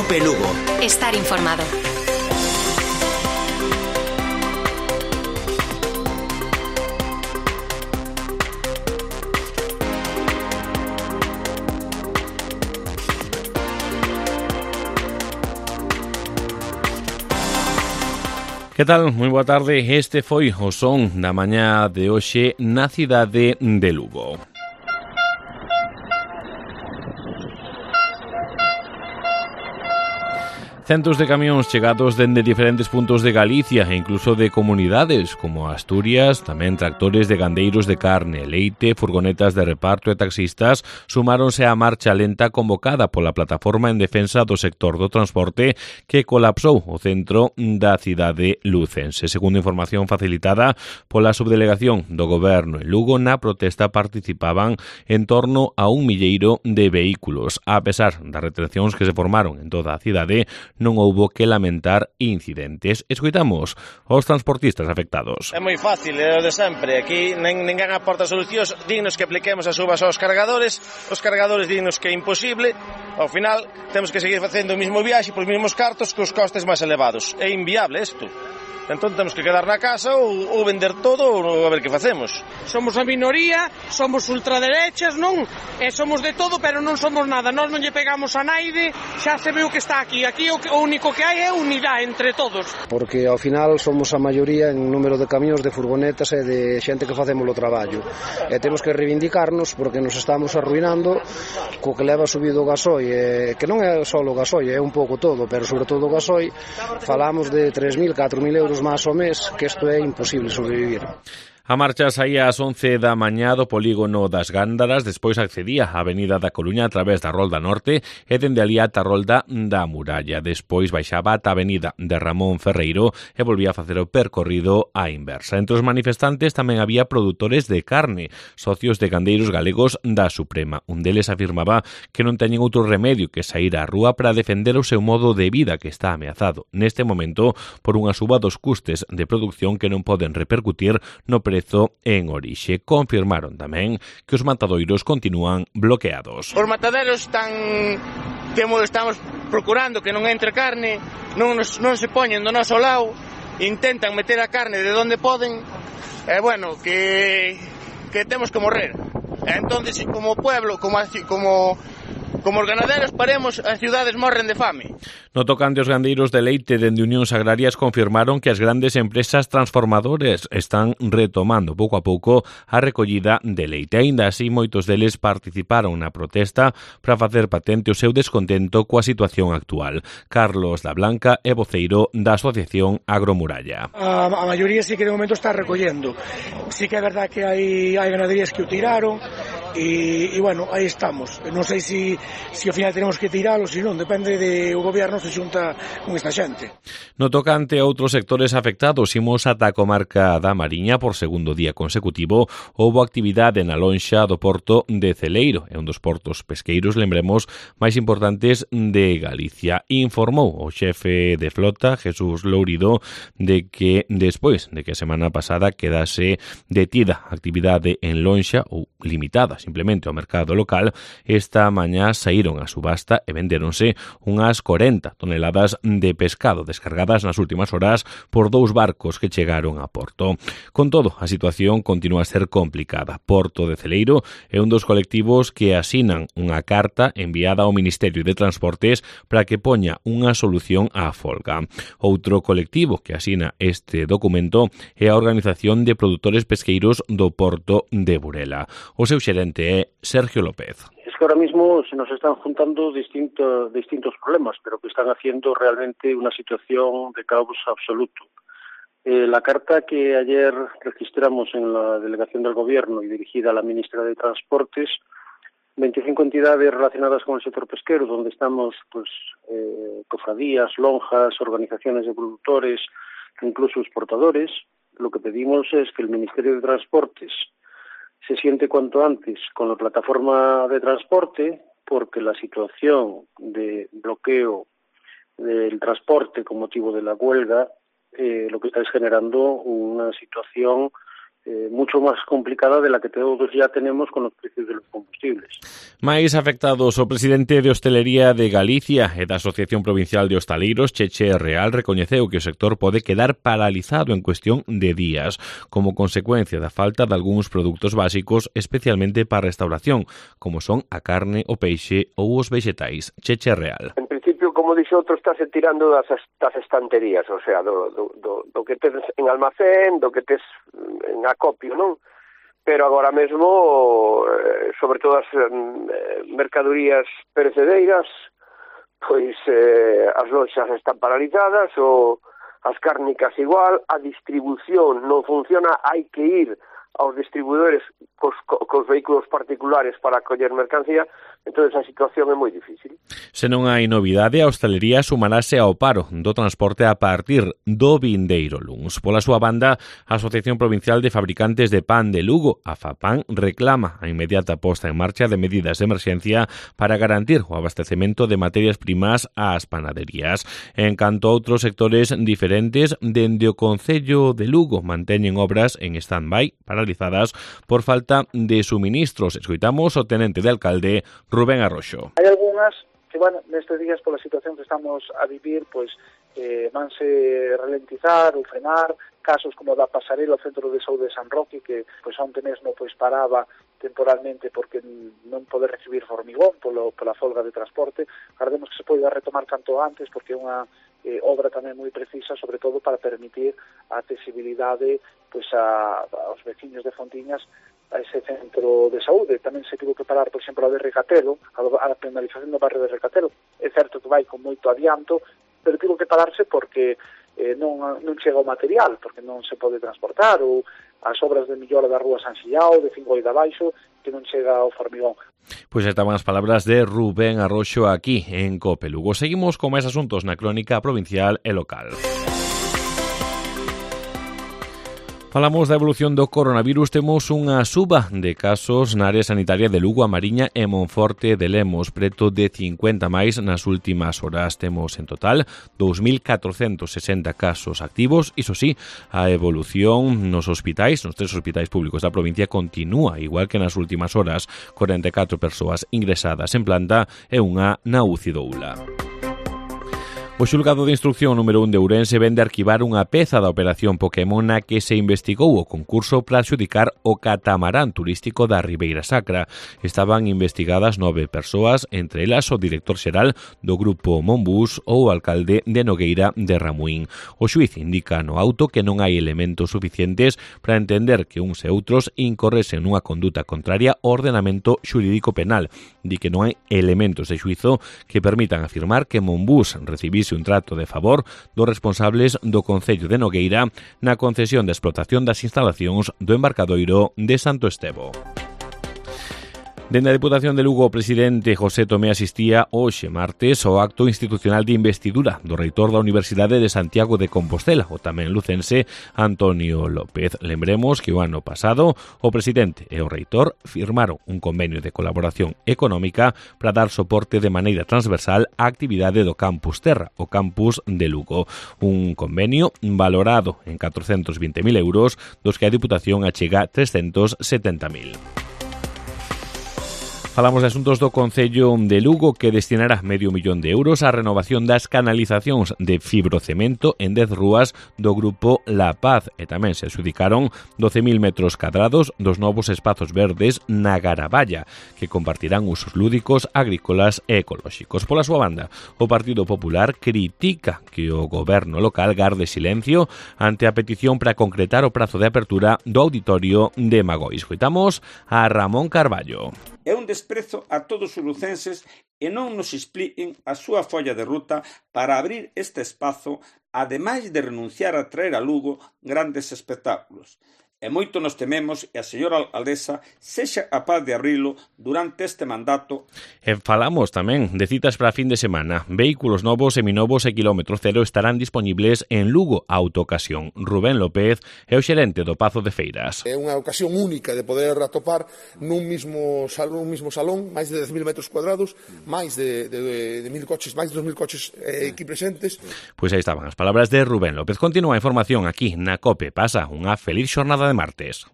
Cope Lugo. Estar informado. Que tal? Moi boa tarde. Este foi o son da mañá de hoxe na cidade de Lugo. Centos de camións chegados dende diferentes puntos de Galicia e incluso de comunidades como Asturias, tamén tractores de gandeiros de carne, leite, furgonetas de reparto e taxistas sumáronse á marcha lenta convocada pola plataforma en defensa do sector do transporte que colapsou o centro da cidade lucense. Segundo información facilitada pola subdelegación do Goberno en Lugo, na protesta participaban en torno a 1.000 de vehículos. A pesar das retencións que se formaron en toda a cidade, non houbo que lamentar incidentes. Escoitamos os transportistas afectados. É moi fácil, é o de sempre. Aquí ninguén aporta solucións. Dignos que apliquemos as uvas aos cargadores. Os cargadores dignos que é imposible. Ao final, temos que seguir facendo o mesmo viaxe por os mesmos cartos cos costes máis elevados. É inviable isto. Entón temos que quedar na casa ou vender todo ou a ver que facemos. Somos a minoría, somos ultraderechas, non? E somos de todo, pero non somos nada. Nós non lle pegamos a naide, xa se ve o que está aquí. Aquí o único que hai é unidade entre todos. Porque ao final somos a maioría en número de camións, de furgonetas e de xente que facemos o traballo. E temos que reivindicarnos porque nos estamos arruinando co que leva subido o gasoi, que non é só o gasoi, é un pouco todo, pero sobre todo o gasoi, falamos de 3.000, 4.000 euros máis ao mes, que isto é imposible sobrevivir. A marcha saía ás 11 da mañá do polígono das Gándaras, despois accedía á Avenida da Coruña a través da Rolda Norte e dende ali ata a Rolda da Muralla. Despois baixaba ata a Avenida de Ramón Ferreiro e volvía a facer o percorrido á inversa. Entre os manifestantes tamén había produtores de carne, socios de gandeiros galegos da Suprema. Un deles afirmaba que non teñen outro remedio que saír á rúa para defender o seu modo de vida que está ameazado neste momento por unha suba dos custes de produción que non poden repercutir no prezo en orixe. Confirmaron tamén que os matadoiros continúan bloqueados. Os mataderos estamos procurando que non entre carne, non se poñen do noso lado, intentan meter a carne de onde poden, bueno, que temos que morrer. Entonces, como pueblo, como os ganaderos paremos, as cidades morren de fame. No tocante aos gandeiros de leite dende Unións Agrarias confirmaron que as grandes empresas transformadoras están retomando pouco a pouco a recollida de leite. Aínda así, moitos deles participaron na protesta para facer patente o seu descontento coa situación actual. Carlos da Blanca é voceiro da Asociación Agromuralla. A maioría sí que de momento está recollendo. Sí que é verdad que hai ganaderías que o tiraron e bueno, aí estamos. Non sei se ao final tenemos que tiralo, se non, depende do goberno se xunta con esta xente. No tocante a outros sectores afectados, imos ata a comarca da Mariña. Por segundo día consecutivo houbo actividade na lonxa do porto de Celeiro, é un dos portos pesqueiros, lembremos, máis importantes de Galicia. Informou o xefe de flota, Jesús Lourido, de que despois de que a semana pasada quedase detida a actividade en lonxa ou limitada simplemente ao mercado local, esta mañá saíron a subasta e vendéronse unhas 40 toneladas de pescado descargadas nas últimas horas por 2 barcos que chegaron a Porto. Con todo, a situación continúa a ser complicada. Porto de Celeiro é un dos colectivos que asinan unha carta enviada ao Ministerio de Transportes para que poña unha solución á folga. Outro colectivo que asina este documento é a Organización de Produtores Pesqueiros do Porto de Burela. O seu xerente é Sergio López. Es que ahora mismo se nos están juntando distintos problemas, pero que están haciendo realmente una situación de caos absoluto. La carta que ayer registramos en la delegación del Gobierno y dirigida a la ministra de Transportes, 25 entidades relacionadas con el sector pesquero, donde estamos cofradías, lonjas, organizaciones de productores, incluso exportadores. Lo que pedimos es que el Ministerio de Transportes se siente cuanto antes con la plataforma de transporte, porque la situación de bloqueo del transporte con motivo de la huelga lo que está es generando una situación mucho más complicada de la que todos ya tenemos con los precios de los combustibles. Máis afectados, o presidente de Hostelería de Galicia e da Asociación Provincial de Hostaleiros, Cheche Real, recoñeceu que o sector pode quedar paralizado en cuestión de días, como consecuencia da falta de algúns produtos básicos, especialmente para a restauración, como son a carne, o peixe ou os vexetais. Cheche Real. En principio, como dixo outro, estáse tirando das estanterías, o sea, do que tes en almacén, do que tes en acopio, non? Pero agora mesmo, sobre todo as mercadorías perecedeiras, pois as loxas están paralizadas, ou as cárnicas igual, a distribución non funciona, hai que ir aos distribuidores cos vehículos particulares para coller mercancía, entón a situación é moi difícil. Se non hai novidade, a hostalería sumarase ao paro do transporte a partir do vindeiro luns. Pola súa banda, a Asociación Provincial de Fabricantes de Pan de Lugo, a FAPAN, reclama a inmediata posta en marcha de medidas de emerxencia para garantir o abastecemento de materias primas ás panaderías. En canto a outros sectores diferentes, dende o Concello de Lugo manteñen obras en stand-by paralizadas por falta de suministros. Escoitamos o tenente de alcalde, Rubén Arroxo. Hai algunhas que, bueno, nestes días pola situación que estamos a vivir, pois vanse ralentizar ou frenar, casos como da pasarela ao Centro de Saúde de San Roque, que pois onte mesmo pois paraba temporalmente porque non poder recibir formigón pola folga de transporte. Agardemos que se poida retomar canto antes, porque é unha obra tamén moi precisa, sobre todo para permitir a accesibilidade pois aos veciños de Fontiñas a ese centro de saúde. Tamén se tivo que parar, por exemplo, a de Recatelo, a penalización do barrio de Recatelo. É certo que vai con moito adianto, pero tivo que pararse porque non chega o material, porque non se pode transportar, ou as obras de millora da rúa San Xiao, de Fingoi de Abaixo, que non chega o formigón. Pois estaban as palabras de Rubén Arroxo aquí en COPE Lugo. Seguimos con máis asuntos na crónica provincial e local. Falamos da evolución do coronavirus. Temos unha suba de casos na área sanitaria de Lugo, A Mariña e Monforte de Lemos, preto de 50 máis nas últimas horas. Temos en total 2.460 casos activos. Iso sí, a evolución nos hospitais, nos 3 hospitais públicos da provincia, continúa igual que nas últimas horas. 44 persoas ingresadas en planta e unha na UCI do ULA. O xulgado de instrucción número 1 de Ourense vende arquivar unha peza da operación Pokémon na que se investigou o concurso para adxudicar o catamarán turístico da Ribeira Sacra. Estaban investigadas 9 persoas, entre elas o director xeral do grupo Monbus ou o alcalde de Nogueira de Ramuín. O xuíz indica no auto que non hai elementos suficientes para entender que uns e outros incorresen nunha conduta contraria ao ordenamento xurídico penal. Di que non hai elementos de xuízo que permitan afirmar que Monbus recibise un trato de favor dos responsables do Concello de Nogueira na concesión de explotación das instalacións do embarcadoiro de Santo Estevo. Dende a Deputación de Lugo, o presidente José Tomé asistía hoxe martes ao acto institucional de investidura do reitor da Universidade de Santiago de Compostela, o tamén lucense Antonio López. Lembremos que o ano pasado o presidente e o reitor firmaron un convenio de colaboración económica para dar soporte de maneira transversal á actividade do Campus Terra, o campus de Lugo. Un convenio valorado en 420.000 euros, dos que a Deputación achega 370.000. Falamos de asuntos do Concello de Lugo, que destinará €500.000 á renovación das canalizacións de fibrocemento en 10 rúas do grupo La Paz, e tamén se adxudicaron 12.000 metros cadrados dos novos espazos verdes na Garaballa, que compartirán usos lúdicos, agrícolas e ecolóxicos. Pola súa banda, o Partido Popular critica que o goberno local garde silencio ante a petición para concretar o prazo de apertura do auditorio de Magoi. Escoitamos a Ramón Carballo. É un desprezo a todos os lucenses e non nos expliquen a súa folla de ruta para abrir este espazo, ademais de renunciar a traer a Lugo grandes espectáculos. E moito nos tememos e a señora alcaldesa sexa capaz de abrilo durante este mandato. E falamos tamén de citas para a fin de semana. Vehículos novos, seminovos e kilómetro cero estarán dispoñibles en Lugo Autoocasión. Rubén López é o xerente do Pazo de Feiras. É unha ocasión única de poder atopar nun mismo salón máis de 10.000 metros cuadrados, máis de 1.000 coches, máis de 2.000 coches aquí presentes. Pois aí estaban as palabras de Rubén López. Continúa a información aquí na COPE. Pasa unha feliz xornada de martes.